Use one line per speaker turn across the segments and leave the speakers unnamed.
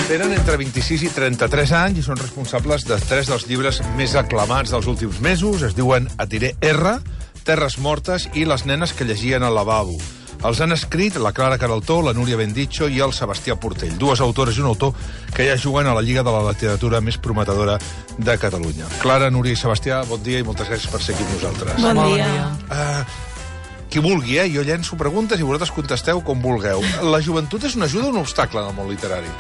Tenen entre 26 i 33 anys i són responsables de 3 dels llibres més aclamats dels últims mesos. Es diuen Et diré R, Terres mortes i Les nenes que llegien al lavabo. Els han escrit la Clara Queraltó, la Núria Benditxo i el Sebastià Portell, dues autores i un autor que ja juguen a la Lliga de la Literatura més prometedora de Catalunya. Clara, Núria i Sebastià, bon dia i moltes gràcies per ser aquí amb nosaltres.
Bon dia.
Qui vulgui, jo llenço preguntes i vosaltres contesteu com vulgueu. La joventut és una ajuda o un obstacle en el món literari?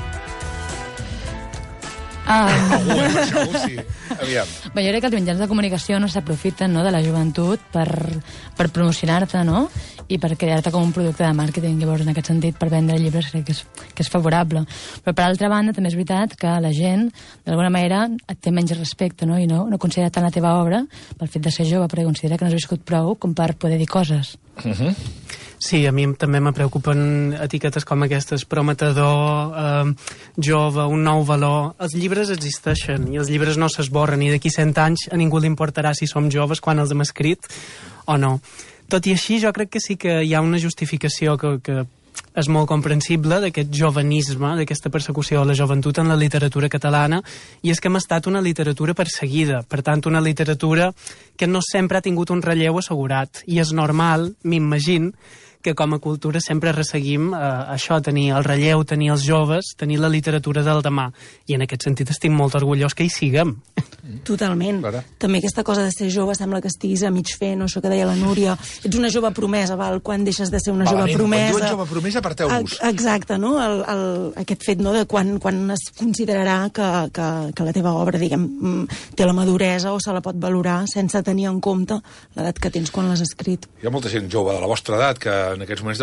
Segur, sí. Aviam.
Jo crec que els mitjans de comunicació no s'aprofiten de la joventut per promocionar-te, no? I per crear-te com un producte de màrqueting. Llavors, en aquest sentit, per vendre llibres crec que és favorable. Però, per altra banda, també és veritat que la gent, d'alguna manera, et té menys respecte, no? I no considera tant la teva obra pel fet de ser jove, perquè considera que no has viscut prou com per poder dir coses.
Sí, a mi també me preocupen etiquetes com aquestes, prometedor, jove, un nou valor. Els llibres existeixen i els llibres no s'esborren i d'aquí 100 anys a ningú li importarà si som joves quan els hem escrit o no. Tot i així, jo crec que sí que hi ha una justificació que és molt comprensible d'aquest jovenisme, d'aquesta persecució a la joventut en la literatura catalana, i és que hem estat una literatura perseguida, per tant, una literatura que no sempre ha tingut un relleu assegurat, i és normal, m'imagino, que com a cultura sempre resseguim això, tenir el relleu, tenir els joves, tenir la literatura del demà. I en aquest sentit estic molt orgullós que hi siguem.
Totalment.
Clara.
També aquesta cosa de ser jove sembla que estiguis a mig fer, no? Això que deia la Núria. Ets una jove promesa, val? Quan deixes de ser una jove promesa...
Quan diuen jove promesa, aparteu-vos.
Exacte, no? Aquest fet, no?, de quan es considerarà que la teva obra, diguem, té la maduresa o se la pot valorar sense tenir en compte l'edat que tens quan l'has escrit.
Hi ha molta gent jove de la vostra edat que en aquests moments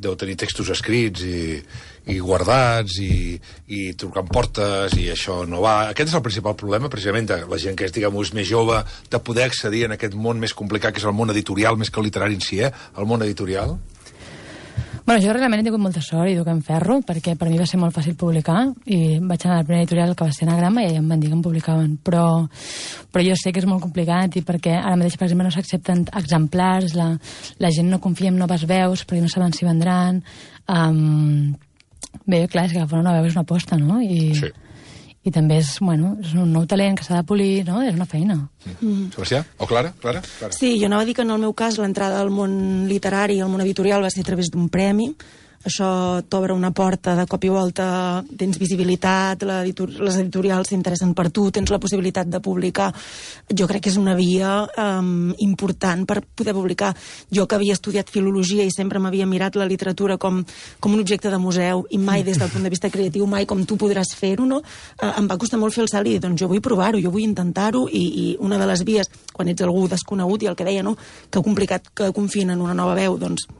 deu tenir textos escrits i guardats i trucant portes i això no va. Aquest és el principal problema, precisament, de la gent que és, diguem, més jove, de poder accedir en aquest món més complicat que és el món editorial, més que el literari en si, el món editorial.
Bueno, jo realment he tingut molta sort i duc en ferro, perquè per mi va ser molt fàcil publicar i vaig anar a la primera editorial que va ser Anagrama i ja em van dir que em publicaven, però jo sé que és molt complicat i perquè ara mateix, per exemple, no s'accepten exemplars, la gent no confia en noves veus perquè no saben si vendran. Bé, clar, és que agafar una veu és una aposta, no?
Sí.
I també és un nou talent que s'ha de polir, no? És una feina.
Sebastià? O Clara? Clara?
Sí, jo anava a dir que en el meu cas l'entrada al món literari, al món editorial, va ser a través d'un premi. Això t'obre una porta de cop i volta, tens visibilitat, les editorials s'interessen per tu, tens la possibilitat de publicar. Jo crec que és una via important per poder publicar. Jo que havia estudiat filologia i sempre m'havia mirat la literatura com un objecte de museu i mai des del punt de vista creatiu, mai com tu podràs fer-ho, no? Em va costar molt fer el salt i dir, doncs jo vull provar-ho, jo vull intentar-ho i una de les vies, quan ets algú desconegut i el que deia, no?, que complicat que confien en una nova veu, doncs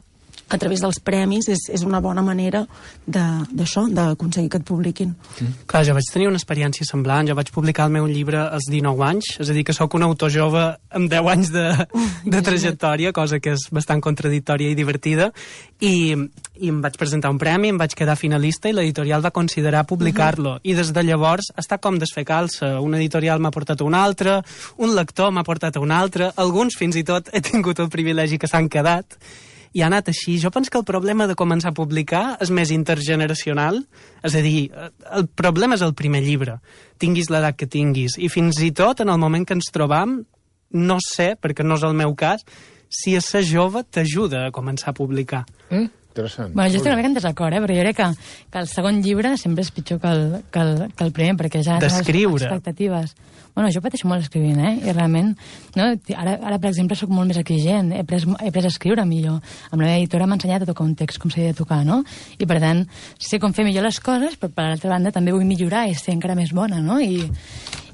a través dels premis és una bona manera d'això, d'aconseguir que et publiquin.
Clar, jo vaig tenir una experiència semblant. Jo vaig publicar el meu llibre als 19 anys, és a dir, que sóc un autor jove amb 10 anys de trajectòria, cosa que és bastant contradictòria i divertida, i em vaig presentar un premi, em vaig quedar finalista i l'editorial va considerar publicar-lo. I des de llavors està com desfer calça. Un editorial m'ha portat a un altre, un lector m'ha portat a un altre, alguns fins i tot he tingut el privilegi que s'han quedat, i ha anat així. Jo penso que el problema de començar a publicar és més intergeneracional, és a dir, el problema és el primer llibre, tinguis l'edat que tinguis, i fins i tot en el moment que ens trobam, no sé, perquè no és el meu cas, si a ser jove t'ajuda a començar a publicar.
Interessant.
Bueno, jo estic una mica en desacord, perquè jo crec que el segon llibre sempre és pitjor que el primer, perquè ja tens les expectatives. Bueno, jo pateixo molt escrivint, i realment, no? Ara, per exemple, sóc molt més exigent, he pres a escriure millor. Amb la meva editora m'ha ensenyat a tocar un text com s'ha de tocar, no? I, per tant, sé com fer millor les coses, però, per l'altra banda, també vull millorar i ser encara més bona, no?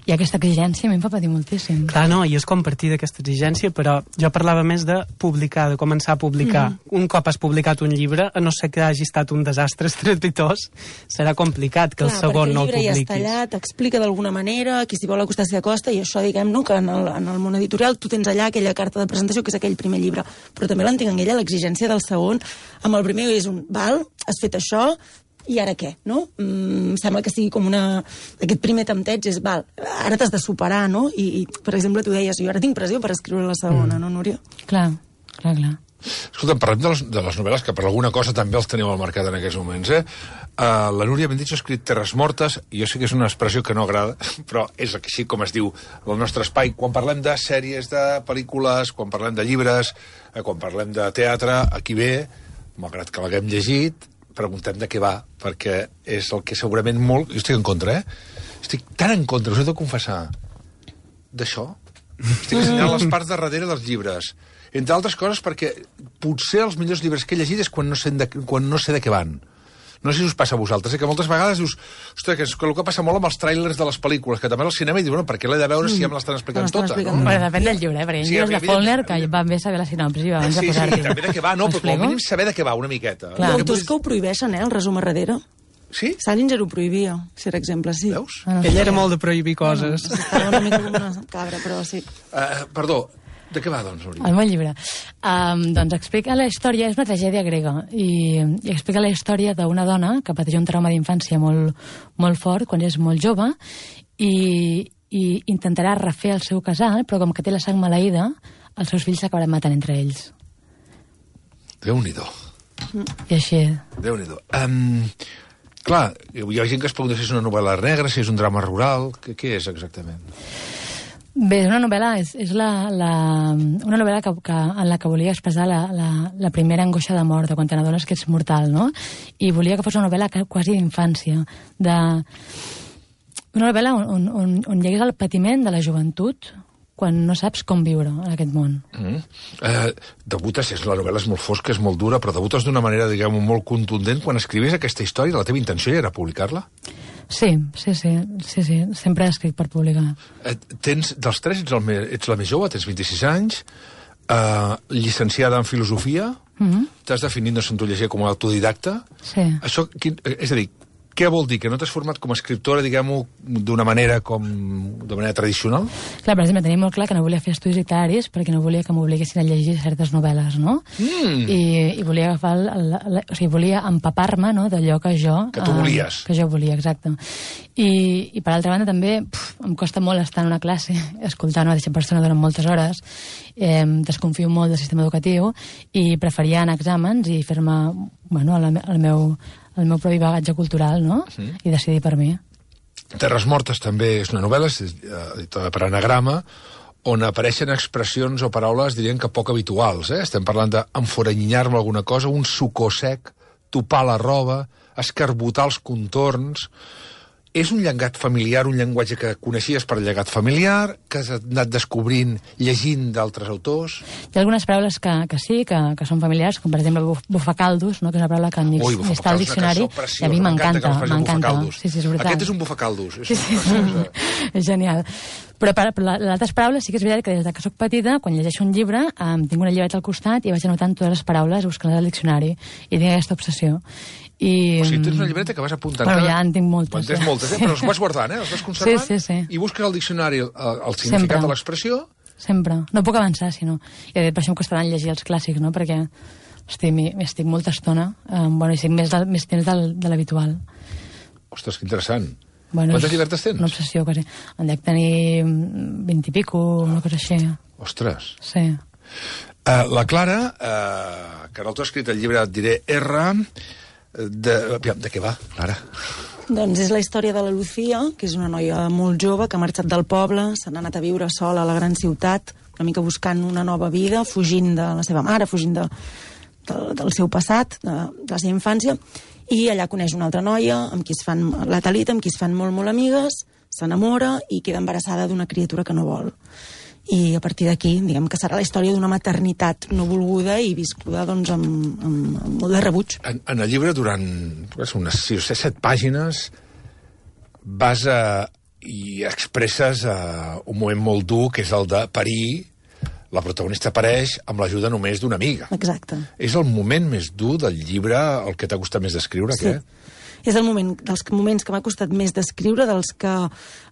I aquesta exigència a mi em fa patir moltíssim.
Clar, no, i és compartir d'aquesta exigència, però jo parlava més de publicar, de començar a publicar. Un cop has publicat un llibre, a no ser que hagi estat un desastre estrepitós, serà complicat que el segon no el publiquis.
Perquè el llibre ja està allà, t'explica d'alguna manera, qui s'hi vol acostar s'hi acosta, i això, diguem, no, que en el món editorial tu tens allà aquella carta de presentació que és aquell primer llibre, però també l'entenc en ella l'exigència del segon. Amb el primer és has fet això, i ara què, no? Sembla que sigui com aquest primer tempteig és, ara t'has de superar, no? I, per exemple, tu deies, jo ara tinc pressió per escriure la segona, no, Núria?
Clar.
Escolta, parlem de les novel·les, que per alguna cosa també els teniu al mercat en aquests moments, la Núria Benditxo ha escrit Terres Mortes, i jo sé que és una expressió que no agrada, però és així com es diu el nostre espai. Quan parlem de sèries, de pel·lícules, quan parlem de llibres, quan parlem de teatre, aquí ve, malgrat que l'haguem llegit, preguntem de què va, perquè és el que segurament molt... Jo estic en contra, Estic tan en contra, us he de confessar, d'això. Estic assenyalant les parts de darrere dels llibres. Entre altres coses perquè potser els millors llibres que he llegit és quan no sé de què van. No sé si us passa a vosaltres, que moltes vegades dius, ostres, que és el que passa molt amb els tràilers de les pel·lícules, que també al cinema i dius, bueno, per què l'he de veure si ja me l'estan explicant tota, no?
Bueno, depèn del llibre, perquè hi ha llibres de Faulkner que van bé saber la sinopsi abans de posar-t'hi.
Sí, també de què va, no, però com a mínim saber de què va una miqueta.
Clar, autors que ho prohibeixen, el resum a darrere.
Sí?
Salinger ho prohibia, si per exemple, sí.
Veus?
Ell era molt de prohibir coses.
Estava una mica com una cabra, però sí.
Perdó, de què va, doncs, Núria?
El meu llibre. Doncs explica la història, és una tragèdia grega, i explica la història d'una dona que pateix un trauma d'infància molt fort quan és molt jove i intentarà refer el seu casal, però com que té la sang maleïda, els seus fills s'acabaran matant entre ells.
Déu-n'hi-do.
I així...
Déu-n'hi-do. Clar, hi ha gent que es pregunta si és una novel·la negra, si és un drama rural... Què és exactament?
Bé, una novel·la és una novel·la en la que volia expressar la primera angoixa de mort, de quan te n'adones que ets mortal, no? I volia que fos una novel·la quasi d'infància, una novel·la on hi hagués el patiment de la joventut quan no saps com viure en aquest món.
Debutes, la novel·la és molt fosca, és molt dura, però debutes d'una manera, diguem-ho, molt contundent. Quan escrivies aquesta història, la teva intenció ja era publicar-la?
Sí, sempre he escrit per publicar.
Dels tres ets la més jove, tens 26 anys, llicenciada en filosofia, t'has definit, no sé on t'ho llegia, com a autodidacta.
Sí.
Això, és a dir, què vol dir? Que no t'has format com a escriptora, diguem-ho, d'una manera tradicional? Clar,
per exemple, tenia molt clar que no volia fer estudis literaris perquè no volia que m'obliguessin a llegir certes novel·les, no? I volia agafar o sigui, volia empapar-me, no?, d'allò que jo...
Que tu volies.
Que jo volia, exacte. I per altra banda, també, em costa molt estar en una classe escoltant una mateixa persona durant moltes hores, desconfio molt del sistema educatiu i preferia anar a exàmens i fer-me, bueno, el meu propi bagatge cultural, no? I decidir per mi.
Terres Mortes també és una novel·la, és editada per Anagrama, on apareixen expressions o paraules, diríem que poc habituals. Estem parlant d'enforanyinyar-me alguna cosa, un sucó sec, topar la roba, escarbotar els contorns... És un llegat familiar, un llenguatge que coneixies per llegat familiar, que has anat descobrint llegint d'altres autors?
Hi ha algunes paraules que sí, que són familiars, com per exemple bufacaldos, no?, que és una paraula que ni està al diccionari, i a mi m'encanta. Sí, és veritat.
Aquest és un bufacaldos.
Sí. És genial. Però les altres paraules sí que és veritat que des que soc petita, quan llegeixo un llibre, tinc una llibreta al costat i vaig anotant totes les paraules, buscant-les al diccionari, i tinc aquesta obsessió.
O sigui, tens una llibreta que vas apuntant...
Bueno, ja en tinc moltes.
En tens moltes, però les vas guardant, els vas conservant?
Sí.
I busques al diccionari el significat de l'expressió?
Sempre. No puc avançar, si no. I per això em costaran llegir els clàssics, no?, perquè estic molta estona, i estic més temps de l'habitual.
Ostres, que interessant.
Bueno,
quantes llibertes tens?
Una obsessió, quasi. En dec tenir 20 i pico, una cosa així.
Ostres.
Sí.
La Clara, que ara t'ha escrit el llibre, et diré, R... De què va, Clara?
Doncs és la història de la Lucía, que és una noia molt jove que ha marxat del poble, se n'ha anat a viure sola a la gran ciutat, una mica buscant una nova vida, fugint de la seva mare, fugint del seu passat, de la seva infància, i allà coneix una altra noia amb qui es fan la Talita, amb qui es fan molt amigues, s'enamora i queda embarassada d'una criatura que no vol. I a partir d'aquí, diguem que serà la història d'una maternitat no volguda i viscuda, doncs, amb molt de rebuig.
En el llibre, durant unes 6 o 7 pàgines, vas i expresses un moment molt dur, que és el de parir. La protagonista apareix amb l'ajuda només d'una amiga.
Exacte.
És el moment més dur del llibre, el que t'ha gustat més d'escriure,
sí.
Què?
És dels moments que m'ha costat més d'escriure, dels que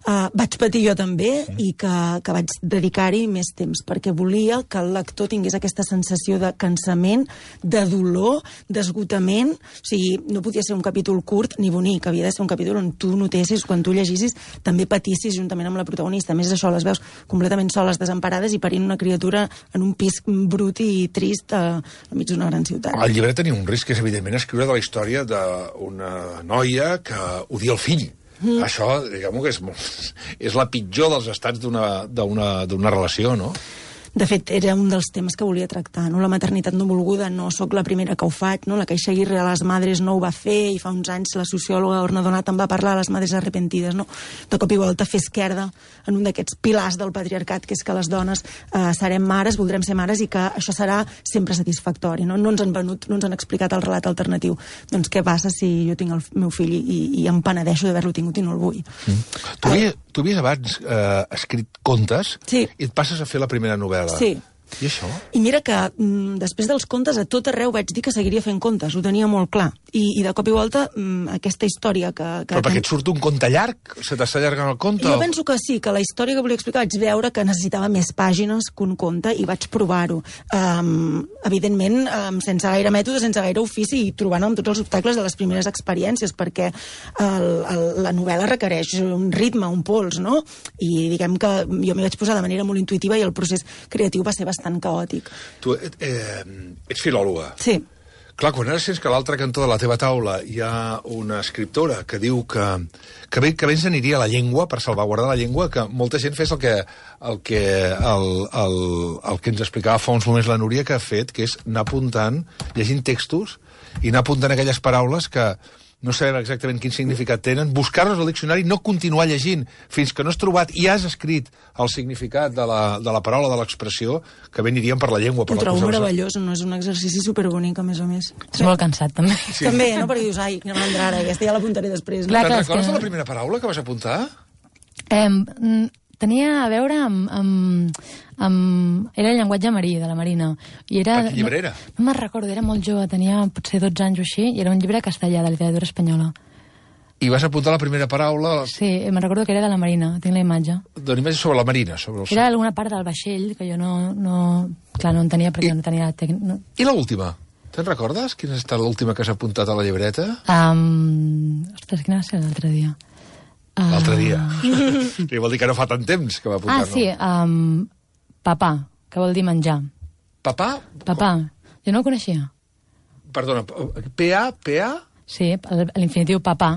vaig patir jo també i que vaig dedicar-hi més temps, perquè volia que el lector tingués aquesta sensació de cansament, de dolor, d'esgotament. O sigui, no podia ser un capítol curt ni bonic, havia de ser un capítol on tu notessis, quan tu llegissis, també patissis juntament amb la protagonista. A més, això, les veus completament soles, desemparades i parint una criatura en un pis brut i trist enmig d'una gran ciutat.
El llibre tenia un risc, que és evidentment escriure de la història d'una noia que odia el fill. Això, diguem-ho, que és la pitjor dels estats d'una relació, no?
De fet, era un dels temes que volia tractar, no? La maternitat no volguda, no sóc la primera que ho faig, no? La Caixa Aguirre a les Madres no ho va fer, i fa uns anys la sociòloga Orna Donat en va parlar a les Madres Arrepentides, no? De cop i volta fer esquerda en un d'aquests pilars del patriarcat, que és que les dones serem mares, voldrem ser mares, i que això serà sempre satisfactori, no? No ens han venut, no ens han explicat el relat alternatiu. Doncs què passa si jo tinc el meu fill i em penedeixo d'haver-lo tingut i no el vull?
Tu havies abans escrit contes,
sí,
i et passes a fer la primera novel·la.
Sí.
I això?
I mira que després dels contes a tot arreu vaig dir que seguiria fent contes, ho tenia molt clar. I de cop i volta aquesta història que...
Però perquè et surt un conte llarg? Se t'està allargant el conte?
Jo penso que sí, que la història que volia explicar vaig veure que necessitava més pàgines que un conte i vaig provar-ho. Evidentment, sense gaire mètode, sense gaire ofici i trobant amb tots els obstacles de les primeres experiències, perquè la novel·la requereix un ritme, un pols, no? I diguem que jo m'hi vaig posar de manera molt intuïtiva i el procés creatiu va ser bastant caòtic.
Tu ets filòloga.
Sí.
Clar, quan ara sents que a l'altre cantó de la teva taula hi ha una escriptora que diu que bé ens aniria la llengua, per salvaguardar la llengua, que molta gent fes el que ens explicava fa uns moments la Núria, que ha fet, que és anar apuntant, llegint textos, i anar apuntant aquelles paraules que no sabem exactament quin significat tenen, buscar-los al diccionari, no continuar llegint fins que no has trobat i has escrit el significat de la paraula, de l'expressió, que bé anirien per la llengua.
Ho trobo meravellós, no? És un exercici superbonic, a més a més.
És molt cansat, també.
Sí. També, no? Perquè dius, ai, quina mandra ara, aquesta ja l'apuntaré després.
Clar,
Te'n recordes de la primera paraula que vas apuntar?
Tenia a veure amb... Era el llenguatge marí, de la Marina. I era,
quin llibre era?
No me'n recordo, era molt jove, tenia potser 12 anys o així, i era un llibre castellà, de literatura espanyola.
I vas apuntar la primera paraula...
Sí, me'n recordo que era de la Marina, tinc la imatge.
Una imatge sobre la Marina.
Era alguna part del vaixell que jo no entenia perquè no tenia...
I l'última? Te'n recordes? Quina ha estat l'última que has apuntat a la llibreta?
Ostres, quina va ser l'altre dia?
L'altre dia. I vol dir que no fa tant temps que va apuntar-lo.
Sí, papà, que vol dir menjar.
Papà?
Papà. Jo no ho coneixia.
Perdona, P-A?
Sí, l'infinitiu papà.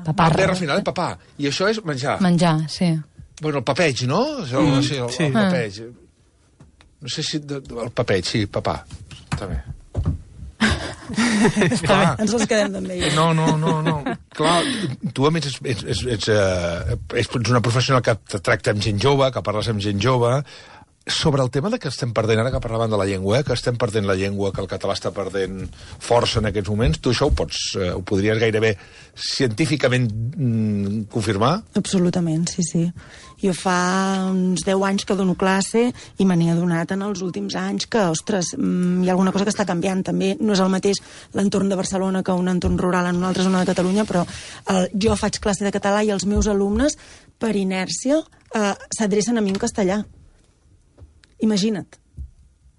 Papà. R final, papà. I això és menjar.
Menjar, sí.
Bueno, el papeig, no? Sí, el papeig. No sé si... El papeig, sí, papà. Està bé.
Ens els quedem també.
No. Clar, tu a més ets una professional que tracta amb gent jove, que parles amb gent jove. Sobre el tema de que estem perdent, ara que parlàvem de la llengua, que estem perdent la llengua, que el català està perdent força en aquests moments, tu això ho podries gairebé científicament confirmar?
Absolutament, sí. Jo fa uns 10 anys que dono classe i me n'he adonat en els últims anys que, ostres, hi ha alguna cosa que està canviant. També no és el mateix l'entorn de Barcelona que un entorn rural en una altra zona de Catalunya, però jo faig classe de català i els meus alumnes, per inèrcia, s'adrecen a mi en castellà. Imagina't.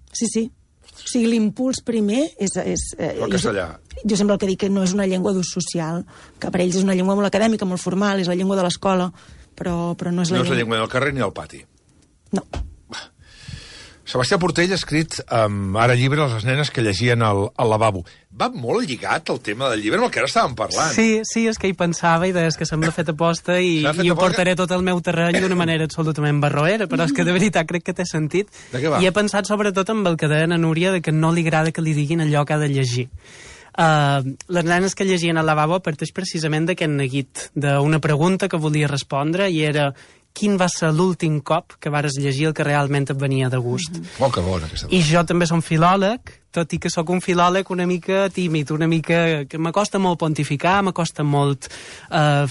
Sí. O sigui, l'impuls primer és
el castellà.
Jo sempre el que dic que no és una llengua d'ús social, que per ells és una llengua molt acadèmica, molt formal, és la llengua de l'escola, però no és la llengua...
No és la llengua del carrer ni del pati.
No.
Sebastià Portell ha escrit ara llibre Les nenes que llegien al lavabo. Va molt lligat el tema del llibre amb el que ara estàvem parlant.
Sí, és que hi pensava i deies que sembla fet aposta i ho portaré tot al meu terreny d'una manera absolutament barroera, però és que de veritat crec que té sentit.
De què va?
I he pensat sobretot amb el que deia a Núria de que no li agrada que li diguin allò que ha de llegir. Les nenes que llegien al lavabo parteix precisament d'aquest neguit, d'una pregunta que volia respondre i era... Quin va ser l'últim cop que vares llegir el que realment et venia de gust?
Oh, que bona aquesta.
I jo també som filòleg, tot i que sóc un filòleg una mica tímid, una mica... que m'acosta molt pontificar, m'acosta molt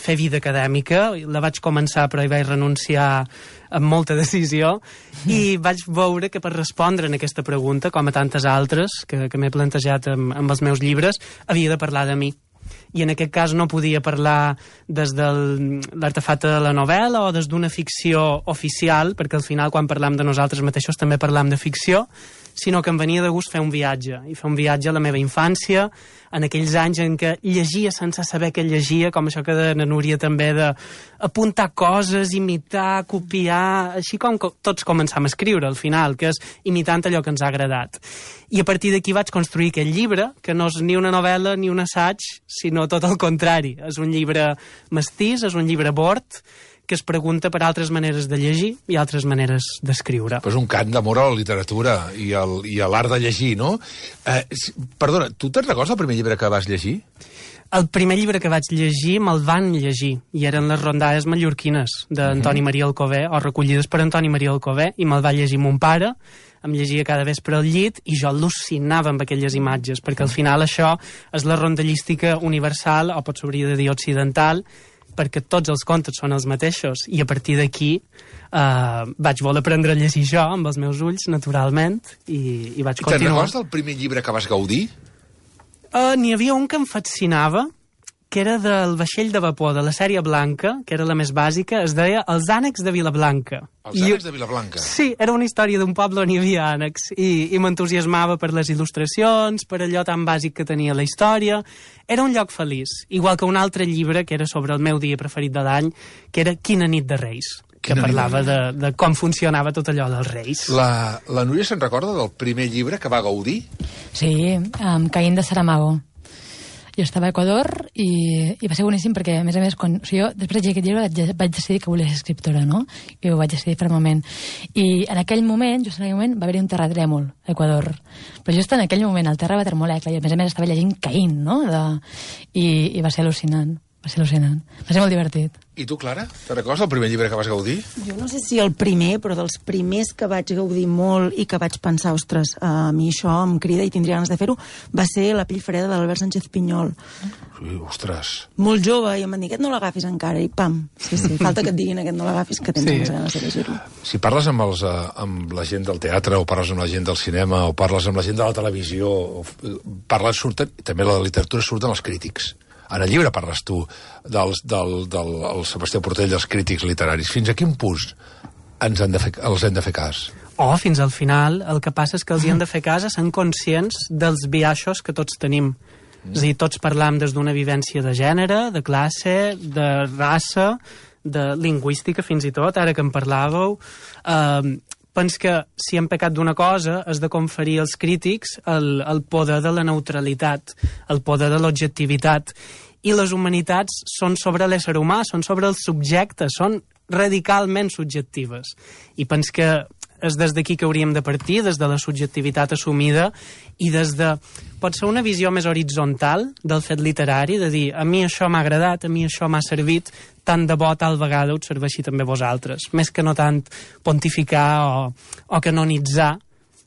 fer vida acadèmica. La vaig començar, però hi vaig renunciar amb molta decisió, i vaig veure que per respondre en aquesta pregunta, com a tantes altres que m'he plantejat amb els meus llibres, havia de parlar de mi. i en aquest cas no podia parlar des de l'artefacte de la novel·la o des d'una ficció oficial, perquè al final quan parlam de nosaltres mateixos també parlam de ficció, sinó que em venia de gust fer un viatge, i fer un viatge a la meva infància, en aquells anys en què llegia sense saber què llegia, com això que deia na Núria també, d'apuntar coses, imitar, copiar, així com tots començam a escriure al final, que és imitant allò que ens ha agradat. I a partir d'aquí vaig construir aquest llibre, que no és ni una novel·la ni un assaig, sinó tot el contrari. És un llibre mestís, és un llibre bord, que es pregunta per altres maneres de llegir i altres maneres d'escriure.
Però és un cant d'amor a la literatura i a l'art de llegir, no? Perdona, tu te'n recordes el primer llibre que vas llegir?
El primer llibre que vaig llegir me'l van llegir, i eren les rondades mallorquines d'Antoni Maria Alcover, o recollides per Antoni Maria Alcover, i me'l va llegir mon pare, em llegia cada vespre al llit, i jo al·lucinava amb aquelles imatges, perquè al final això és la rondallística universal, o potser hauria de dir occidental, perquè tots els contes són els mateixos, i a partir d'aquí vaig voler aprendre a llegir jo amb els meus ulls, naturalment, i vaig continuar.
Te'n recordes del primer llibre que vas gaudir?
N'hi havia un que em fascinava, que era del vaixell de vapor, de la sèrie Blanca, que era la més bàsica, es deia Els ànecs de Vilablanca.
Els ànecs de Vilablanca?
Sí, era una història d'un poble on hi havia ànecs, i m'entusiasmava per les il·lustracions, per allò tan bàsic que tenia la història. Era un lloc feliç, igual que un altre llibre que era sobre el meu dia preferit de l'any, que era Quina nit de Reis, que parlava de com funcionava tot allò dels Reis.
La Núria se'n recorda del primer llibre que va gaudir?
Sí, Caín de Saramago. Jo estava a Equador i va ser boníssim perquè, a més, quan jo després de llegir aquest llibre vaig decidir que volia ser escriptora, no? I ho vaig decidir fermament. I en aquell moment, just en aquell moment, va haver-hi un terratrèmol a Equador. Però just en aquell moment el terra va tremolar, i a més estava llegint Caín, no? I va ser al·lucinant. Va ser al·lucinant. Va ser molt divertit.
I tu, Clara? Te recordes el primer llibre que vas gaudir?
Jo no sé si el primer, però dels primers que vaig gaudir molt i que vaig pensar, ostres, a mi això em crida i tindria ganes de fer-ho, va ser La pell freda de l'Albert Sánchez Pinyol.
Sí, ostres.
Molt jove, i em van dir, aquest no l'agafis encara, i pam. Sí, falta que et diguin aquest no l'agafis, que tens més ganes de llegir-lo.
Si parles amb la gent del teatre, o parles amb la gent del cinema, o parles amb la gent de la televisió, també la literatura surten els crítics. En el llibre parles tu del Sebastià Portell, dels crítics literaris. Fins a quin punt els hem de fer cas?
Fins al final. El que passa és que els hi hem de fer cas a ser conscients dels biaixos que tots tenim. És a dir, tots parlam des d'una vivència de gènere, de classe, de raça, de lingüística fins i tot, ara que en parlàveu. Pens que si hem pecat d'una cosa és de conferir als crítics el poder de la neutralitat, el poder de l'objectivitat. I les humanitats són sobre l'ésser humà, són sobre el subjecte, són radicalment subjectives. I pens que és des d'aquí que hauríem de partir, des de la subjectivitat assumida i des de, pot ser una visió més horitzontal del fet literari, de dir, a mi això m'ha agradat, a mi això m'ha servit, tant de bo tal vegada us serveixi també vosaltres, més que no tant pontificar o canonitzar.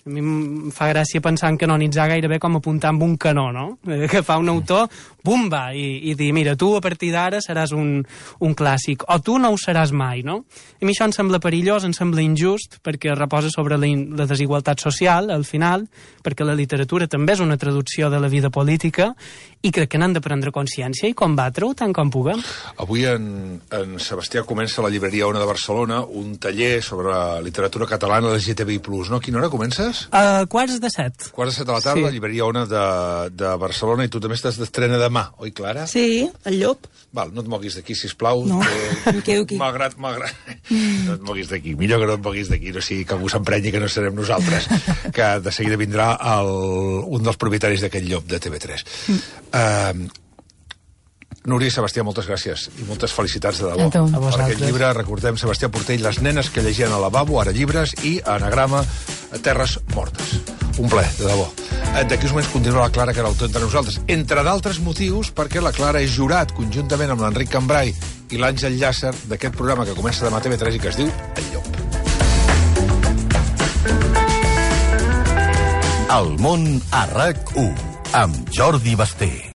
A mi em fa gràcia pensar en canonitzar gairebé com apuntar amb un canó, no? Que fa un autor, bumba, i dir, mira, tu a partir d'ara seràs un clàssic, o tu no ho seràs mai, no? A mi això em sembla perillós, em sembla injust, perquè reposa sobre la desigualtat social, al final, perquè la literatura també és una traducció de la vida política, i crec que n'han de prendre consciència i combatre-ho tant com puguem.
Avui en Sebastià comença a la llibreria Ona de Barcelona un taller sobre literatura catalana LGTBI+, no? A quina hora comences?
Quarts de 7.
Quarts de 7 de la tarda, sí. Llibreria Ona de Barcelona, i tu també estàs d'estrena demà, oi, Clara?
Sí, el Llop.
Val, no et moguis d'aquí, sisplau.
No, em quedo aquí.
Malgrat. No et moguis d'aquí. Millor que no et moguis d'aquí, no sigui que algú s'emprenyi que no serem nosaltres, que de seguida vindrà un dels propietaris d'aquest Llop de TV3. Núria i Sebastià, moltes gràcies i moltes felicitats de debò. Per aquest llibre, recordem, Sebastià Portell, Les nenes que llegien al lavabo, ara llibres, i Anagrama, Terres mortes. Un plaer, de debò. D'aquí uns moments continua la Clara, que era l'autor entre nosaltres, entre d'altres motius perquè la Clara és jurat, conjuntament amb l'Enric Cambrai i l'Àngel Llàcer, d'aquest programa que comença demà a TV3 i que es diu El Llop.
El món a RAC1, amb Jordi Basté.